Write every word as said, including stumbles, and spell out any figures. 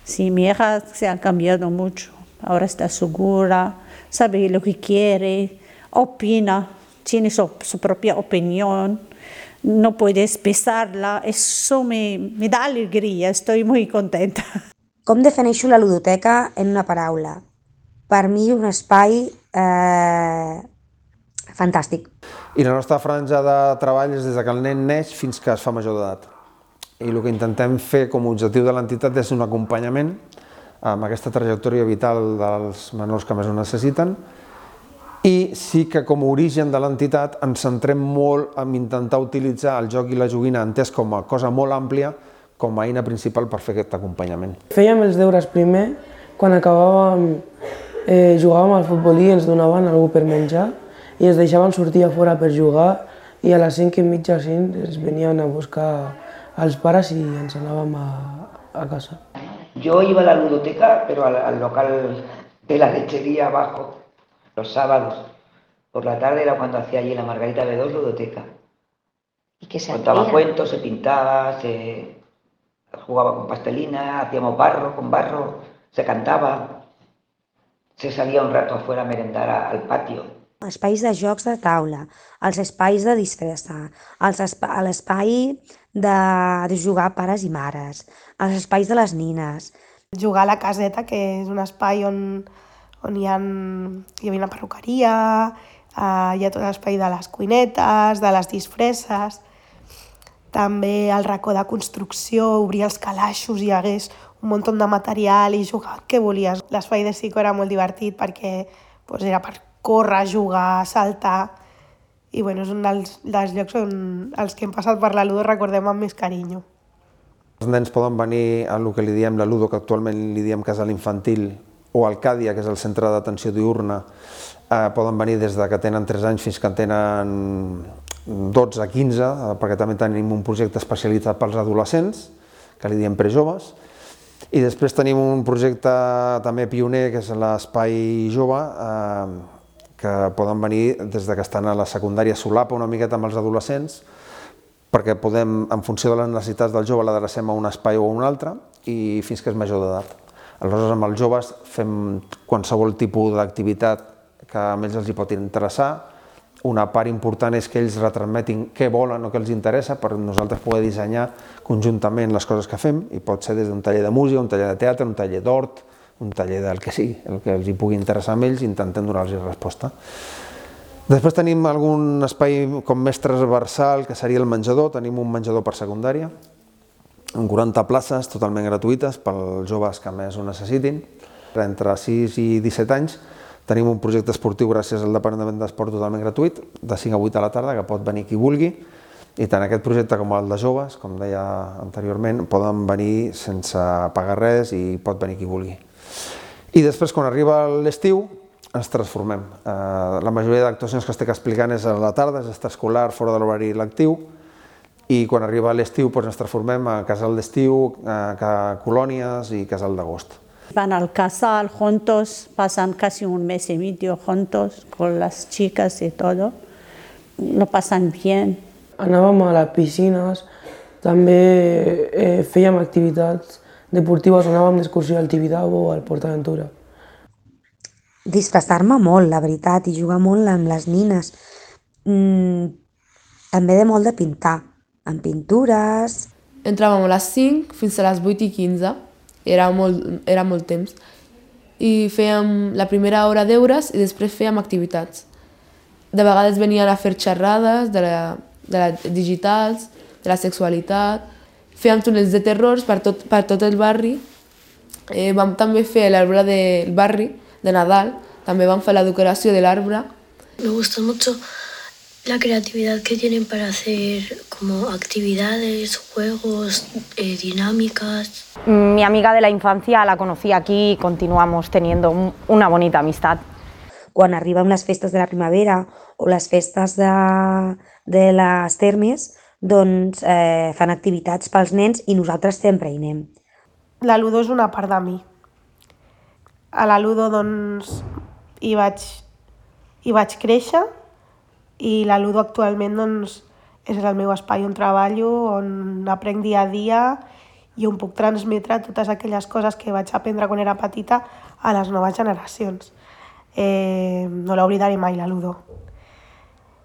Sí, mi hija se ha cambiado mucho. Ahora está segura, sabe lo que quiere, opina, tiene su, su propia opinión. No puedes pesarla. Eso me, me da alegría, estoy muy contenta. Com defineixo la ludoteca en una paraula? Per mi un espai eh, fantàstic. I la nostra franja de treball és des que el nen neix fins que es fa major d'edat. I el que intentem fer com a objectiu de l'entitat és un acompanyament amb aquesta trajectòria vital dels menors que més ho necessiten, i sí que com a origen de l'entitat ens centrem molt en intentar utilitzar el joc i la joguina entès com a cosa molt àmplia com a eina principal per fer aquest acompanyament. Fèiem els deures primer, quan acabàvem eh, jugàvem al futbol i ens donaven alguna per menjar i ens deixaven sortir a fora per jugar i a les cinc i mitja cinc ens venien a buscar els pares i ens anàvem a, a casa. Yo iba a la ludoteca, pero al, al local de la lechería abajo, los sábados. Por la tarde era cuando hacía allí la Margarita B dos ludoteca. ¿Y qué se Contaba hacía? cuentos, se pintaba, se jugaba con pastelina, hacíamos barro con barro, se cantaba, se salía un rato afuera a merendar a, al patio. Espais de jocs de taula, els espais de disfressa, els espa l'espai de, de jugar pares i mares, els espais de les nines. Jugar a la caseta, que és un espai on, on hi, ha, hi havia una perruqueria, eh, hi ha tot l'espai de les cuinetes, de les disfresses, també el racó de construcció, obrir els calaixos, hi hagués un munt de material i jugar el que volies. L'espai de psico era molt divertit perquè doncs, era per córrer, jugar, saltar, i bueno, és un dels, dels llocs on els que hem passat per la Ludo recordem amb més carinyo. Els nens poden venir a el que li diem la Ludo, que actualment li diem casal infantil, o al Càdia, que és el centre d'atenció diurna, eh, poden venir des de que tenen tres anys fins que tenen dotze a quinze, eh, perquè també tenim un projecte especialitzat pels adolescents, que li diem prejoves, i després tenim un projecte també pioner, que és l'espai jove, eh, que poden venir des de que estan a la secundària, solapa una miqueta amb els adolescents, perquè podem, en funció de les necessitats del jove, l'adrecem a un espai o a un altre, i fins que és major d'edat. Aleshores, amb els joves fem qualsevol tipus d'activitat que a ells els hi pot interessar. Una part important és que ells retransmetin què volen o què els interessa per nosaltres poder dissenyar conjuntament les coses que fem, i pot ser des d'un taller de música, un taller de teatre, un taller d'hort, un taller del que sigui, el que els hi pugui interessar a ells, i intentem donar-los resposta. Després tenim algun espai com més transversal, que seria el menjador. Tenim un menjador per secundària, amb quaranta places totalment gratuïtes pels joves que més ho necessitin. Entre sis i disset anys tenim un projecte esportiu gràcies al Departament d'Esport totalment gratuït, de cinc a vuit a la tarda, que pot venir qui vulgui, i tant aquest projecte com el de joves, com deia anteriorment, poden venir sense pagar res i pot venir qui vulgui. I després, quan arriba l'estiu, ens transformem. La majoria d'actuacions que estic explicant és a la tarda, és extraescolar, fora de l'horari lectiu, i quan arriba l'estiu ens transformem a casal d'estiu, colònies i casal d'agost. Van al casal juntos, pasan casi un mes y medio juntos con las chicas y todo. Lo pasan bien. Anàvem a les piscines, també eh, fèiem activitats deportives, anàvem d'excursió al Tibidabo o al PortAventura. Disfressar-me molt, la veritat, i jugar molt amb les nines. Mm, també de molt de pintar, amb pintures. Entràvem a les cinc fins a les vuit i quinze, era molt, era molt temps, i fèiem la primera hora deures i després fèiem activitats. De vegades venien a fer xerrades de la, de la digitals, de la sexualitat, fèiem túnels de terrors per tot, per tot el barri, eh, vam també fer l'arbre del barri, de Nadal, també vam fer la decoració de l'arbre. Me gusta mucho la creatividad que tienen para hacer como actividades, juegos, eh, dinámicas. Mi amiga de la infancia la conocí aquí y continuamos teniendo un, una bonita amistad. Quan arriben les festes de la primavera o les festes de, de les termes, doncs eh, fan activitats pels nens i nosaltres sempre hi anem. La Ludo és una part de mi. A la Ludo doncs, hi, vaig, hi vaig créixer, i la Ludo actualment doncs, és el meu espai on treballo, on aprenc dia a dia i on puc transmetre totes aquelles coses que vaig aprendre quan era petita a les noves generacions. Eh, no l'oblidaré mai, la Ludo.